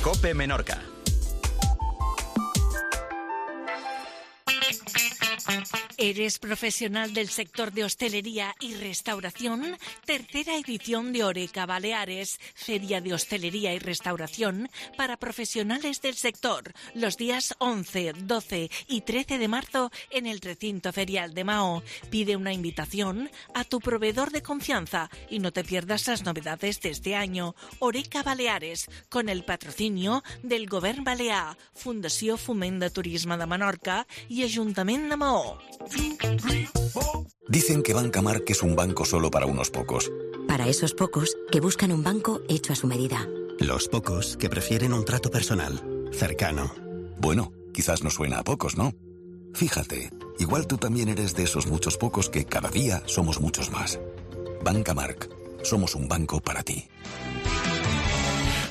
COPE Menorca. ¿Eres profesional del sector de hostelería y restauración? Tercera edición de Oreca Baleares, Feria de Hostelería y Restauración para profesionales del sector, los días 11, 12 y 13 de marzo en el recinto ferial de Mahó. Pide una invitación a tu proveedor de confianza y no te pierdas las novedades de este año. Oreca Baleares, con el patrocinio del Govern Balear, Fundació Foment de Turisme de Menorca y Ajuntament de Mahó. Dicen que Banca Marc es un banco solo para unos pocos. Para esos pocos que buscan un banco hecho a su medida. Los pocos que prefieren un trato personal, cercano. Bueno, quizás no suena a pocos, ¿no? Fíjate, igual tú también eres de esos muchos pocos que cada día somos muchos más. Banca Marc, somos un banco para ti.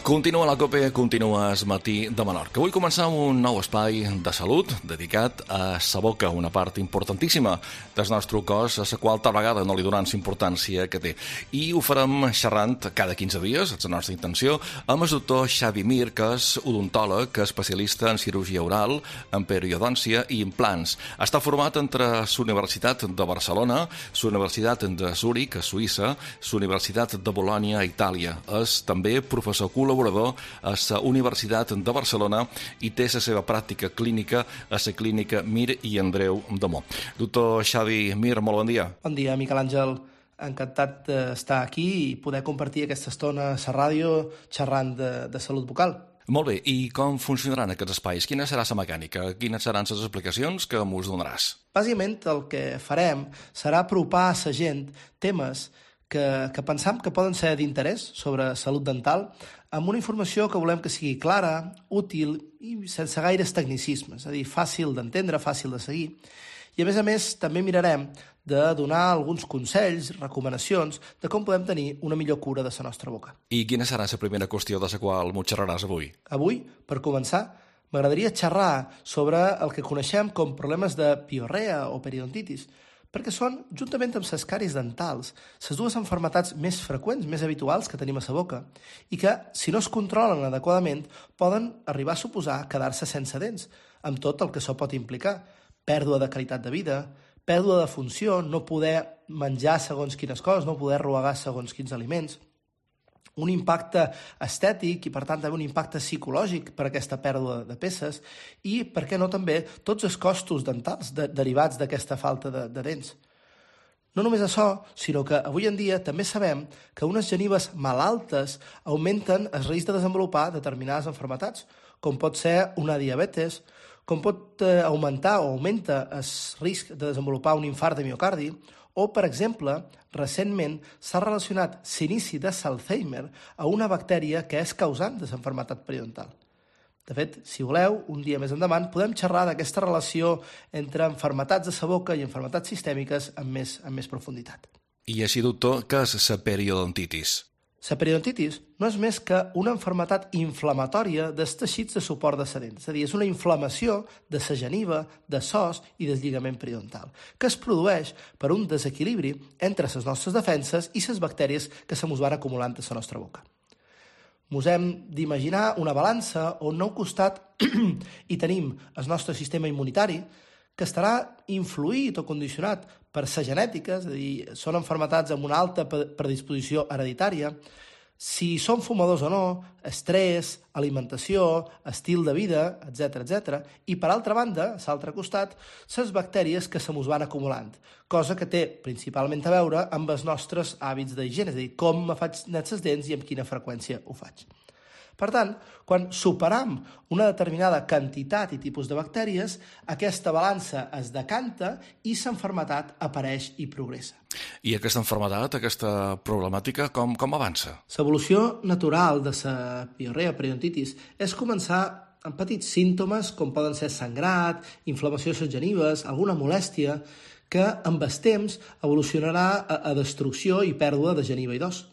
Continua la COPE, continua el matí de Menorca. Vull començar amb un nou espai de salut dedicat a sa boca, una part importantíssima del nostre cos, a la qual tal vegada no li donem la importància que té. I ho farem xerrant cada 15 dies, és la nostra intenció, amb el doctor Xavi Mir, que és odontòleg, que és especialista en cirurgia oral, en periodòncia i implants. Està format entre la Universitat de Barcelona, la Universitat de Zúrich, a Suïssa, la Universitat de Bolònia, a Itàlia. És també professor col·laborador a la Universitat de Barcelona i té la seva pràctica clínica a la clínica Mir i Andreu de Mo. Doctor Xavi Mir, molt bon dia. Bon dia, Miquel Àngel. Encantat d'estar aquí i poder compartir aquesta estona a la ràdio xerrant de salut bucal. Molt bé, i com funcionaran aquests espais? Quina serà la mecànica? Quines seran les explicacions que mos donaràs? Bàsicament el que farem serà apropar a la gent temes que pensam que poden ser d'interès sobre salut dental amb una informació que volem que sigui clara, útil i sense gaires tecnicismes, és a dir, fàcil d'entendre, fàcil de seguir. I a més, també mirarem de donar alguns consells, recomanacions de com podem tenir una millor cura de la nostra boca. I quina serà la primera qüestió de la qual m'ho xerraràs avui? Avui, per començar, m'agradaria xerrar sobre el que coneixem com problemes de piorrea o periodontitis, perquè són, juntament amb les càries dentals, les dues malalties més freqüents, més habituals que tenim a la boca i que, si no es controlen adequadament, poden arribar a suposar quedar-se sense dents, amb tot el que això pot implicar. Pèrdua de qualitat de vida, pèrdua de funció, no poder menjar segons quines coses, no poder roegar segons quins aliments, un impacte estètic i, per tant, també un impacte psicològic per aquesta pèrdua de peces i, per què no, també tots els costos dentals derivats d'aquesta falta de dents. No només això, sinó que avui en dia també sabem que unes genives malaltes augmenten el risc de desenvolupar determinades malalties, com pot ser una diabetes, com pot augmentar o augmenta el risc de desenvolupar un infart de miocardi, o, per exemple, recentment s'ha relacionat l'inici de l'Alzheimer a una bactèria que és causant de l'enfermetat periodontal. De fet, si voleu, un dia més endavant podem xerrar d'aquesta relació entre malalties de la boca i malalties sistèmiques amb més profunditat. I així, doctor, què és la periodontitis? La periodontitis no és més que una malaltia inflamatòria dels teixits de suport de la dent, és a dir, és una inflamació de la geniva, de l'os i del lligament periodontal, que es produeix per un desequilibri entre les nostres defenses i les bactèries que se mos van acumulant a la nostra boca. Mos hem d'imaginar una balança on a un costat hi tenim el nostre sistema immunitari, que estarà influït o condicionat per la genètica, és a dir, són malalties amb una alta predisposició hereditària, si són fumadors o no, estrès, alimentació, estil de vida, etc. I, per altra banda, a l'altre costat, les bactèries que se mos van acumulant, cosa que té principalment a veure amb els nostres hàbits d'higiene, és a dir, com me faig net les dents i amb quina freqüència ho faig. Per tant, quan superam una determinada quantitat i tipus de bactèries, aquesta balança es decanta i l'enfermetat apareix i progressa. I aquesta malaltia, aquesta problemàtica, com avança? L'evolució natural de la piorrea periodontitis és començar amb petits símptomes com poden ser sangrat, inflamació de les genives, alguna molèstia, que amb el temps evolucionarà a destrucció i pèrdua de geniva i d'os,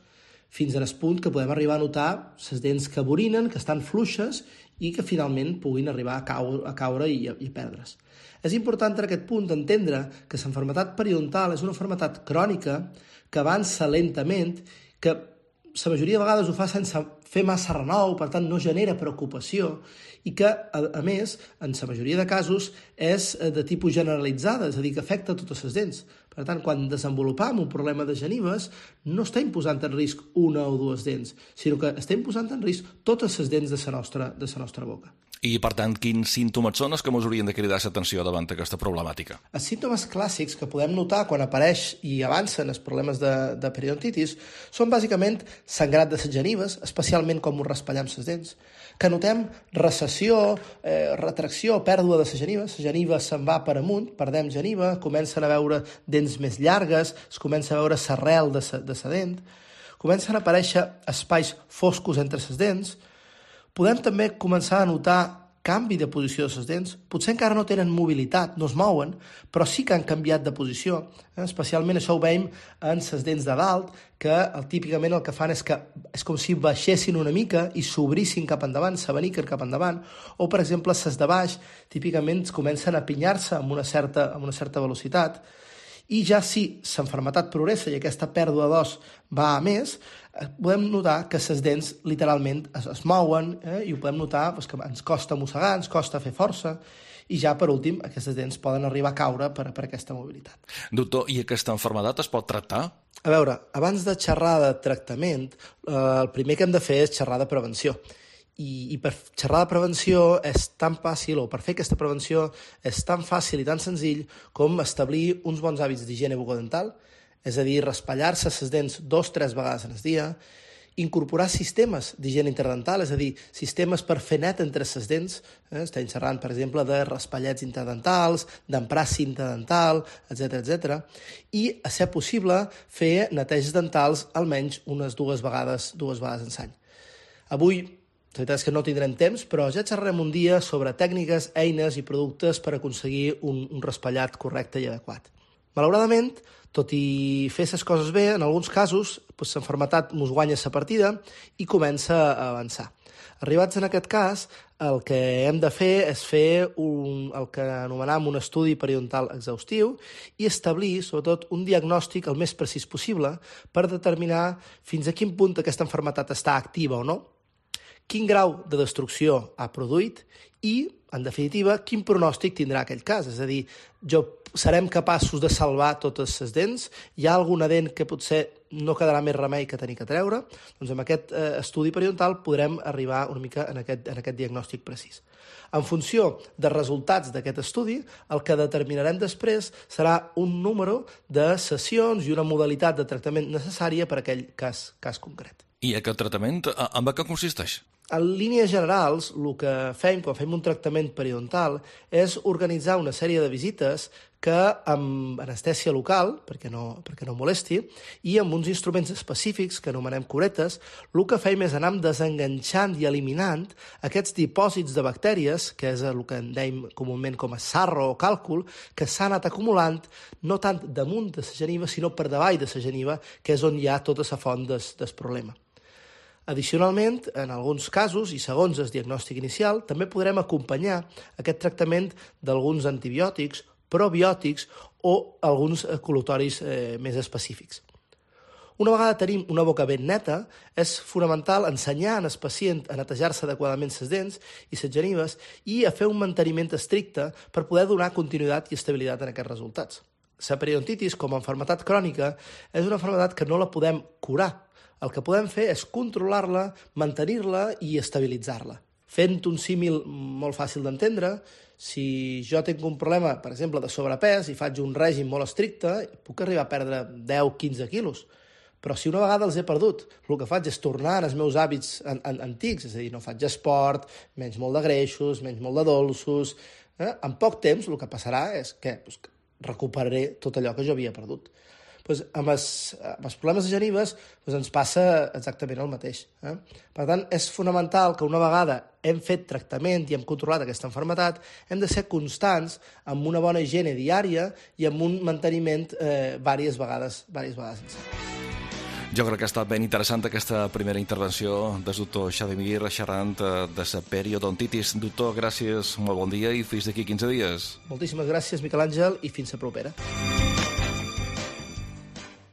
fins al punt que podem arribar a notar les dents que borinen, que estan fluixes i que finalment puguin arribar a caure i perdre's. És important en aquest punt entendre que la malaltia periodontal és una malaltia crònica que avança lentament, que la majoria de vegades ho fa sense fer massa renou, per tant no genera preocupació i que, a més, en la majoria de casos és de tipus generalitzada, és a dir, que afecta totes les dents. Per tant, quan desenvolupam un problema de genives, no estem posant en risc una o dues dents, sinó que estem posant en risc totes les dents de la nostra boca. I, per tant, quins símptomes són els que ens haurien de cridar l'atenció davant d'aquesta problemàtica? Els símptomes clàssics que podem notar quan apareix i avancen els problemes de periodontitis són bàsicament sangrat de les genives, especialment com us raspallem les dents, que notem recessió, retracció, pèrdua de les genives, la geniva se'n va per amunt, perdem geniva, comencen a veure dents més llargues, es comença a veure l'arrel de la dent, comencen a aparèixer espais foscos entre les dents. Podem també començar a notar canvi de posició de les dents. Potser encara no tenen mobilitat, no es mouen, però sí que han canviat de posició. Especialment això ho veiem en les dents de dalt, que típicament el que fan és com si baixessin una mica i s'obrissin cap endavant, s'abaniquen cap endavant, o, per exemple, les de baix típicament comencen a pinyar-se amb una certa velocitat. I ja si l'enfermetat progressa i aquesta pèrdua d'os va a més, podem notar que les dents literalment es mouen i ho podem notar que ens costa mossegar, ens costa fer força i ja, per últim, aquestes dents poden arribar a caure per aquesta mobilitat. Doctor, i aquesta malaltia es pot tractar? A veure, abans de xerrar de tractament, el primer que hem de fer és xerrar de prevenció. I per xerrar de prevenció és tan fàcil, o per fer aquesta prevenció és tan fàcil i tan senzill com establir uns bons hàbits d'higiene bucodental, és a dir, raspallar-se les dents 2-3 vegades al dia, incorporar sistemes d'higiene interdental, és a dir, sistemes per fer net entre les dents, estem xerrant, per exemple, de raspallets interdentals, d'emprar cinta dental, etc. I, a ser possible, fer neteges dentals almenys unes dues vegades en l'any. Avui, la veritat és que no tindrem temps, però ja xerrarem un dia sobre tècniques, eines i productes per aconseguir un raspallat correcte i adequat. Malauradament, tot i fer les coses bé, en alguns casos l'enfermetat ens guanya la partida i comença a avançar. Arribats en aquest cas, el que hem de fer és fer el que anomenem un estudi periodontal exhaustiu i establir, sobretot, un diagnòstic el més precís possible per determinar fins a quin punt aquesta malaltia està activa o no, quin grau de destrucció ha produït i, en definitiva, quin pronòstic tindrà aquell cas. És a dir, serem capaços de salvar totes les dents? Hi ha alguna dent que potser no quedarà més remei que tenir que treure? Doncs amb aquest estudi periodontal podrem arribar una mica en aquest diagnòstic precís. En funció dels resultats d'aquest estudi, el que determinarem després serà un número de sessions i una modalitat de tractament necessària per a aquell cas concret. I aquest tractament, en què consisteix? En línies generals, el que fem quan fem un tractament periodontal és organitzar una sèrie de visites que amb anestèsia local, perquè no molesti, i amb uns instruments específics que anomenem curetes, el que fem és anar desenganxant i eliminant aquests dipòsits de bactèries, que és el que en dèiem comúment com a sarro o càlcul, que s'han anat acumulant no tant damunt de la geniva, sinó per davall de la geniva, que és on hi ha tota la font del problema. Addicionalment, en alguns casos, i segons el diagnòstic inicial, també podrem acompanyar aquest tractament d'alguns antibiòtics, probiòtics o alguns col·lutoris més específics. Una vegada tenim una boca ben neta, és fonamental ensenyar al pacient a netejar-se adequadament les dents i les genives i a fer un manteniment estricte per poder donar continuïtat i estabilitat en aquests resultats. La periodontitis, com a malaltia crònica, és una malaltia que no la podem curar. El que podem fer és controlar-la, mantenir-la i estabilitzar-la. Fent un símil molt fàcil d'entendre, si jo tinc un problema, per exemple, de sobrepès i faig un règim molt estricte, puc arribar a perdre 10-15 quilos. Però si una vegada els he perdut, el que faig és tornar als meus hàbits antics, és a dir, no faig esport, menys molt de greixos, menys molt de dolços. En poc temps el que passarà és que recuperaré tot allò que jo havia perdut. Amb els problemes de genives ens passa exactament el mateix. Per tant, és fonamental que una vegada hem fet tractament i hem controlat aquesta malaltia, hem de ser constants amb una bona higiene diària i amb un manteniment diverses vegades sense. Jo crec que ha estat ben interessant aquesta primera intervenció del doctor Xavier xerrant de la periodontitis. Doctor, gràcies, molt bon dia i fins d'aquí 15 dies. Moltíssimes gràcies, Miquel Àngel, i fins la propera.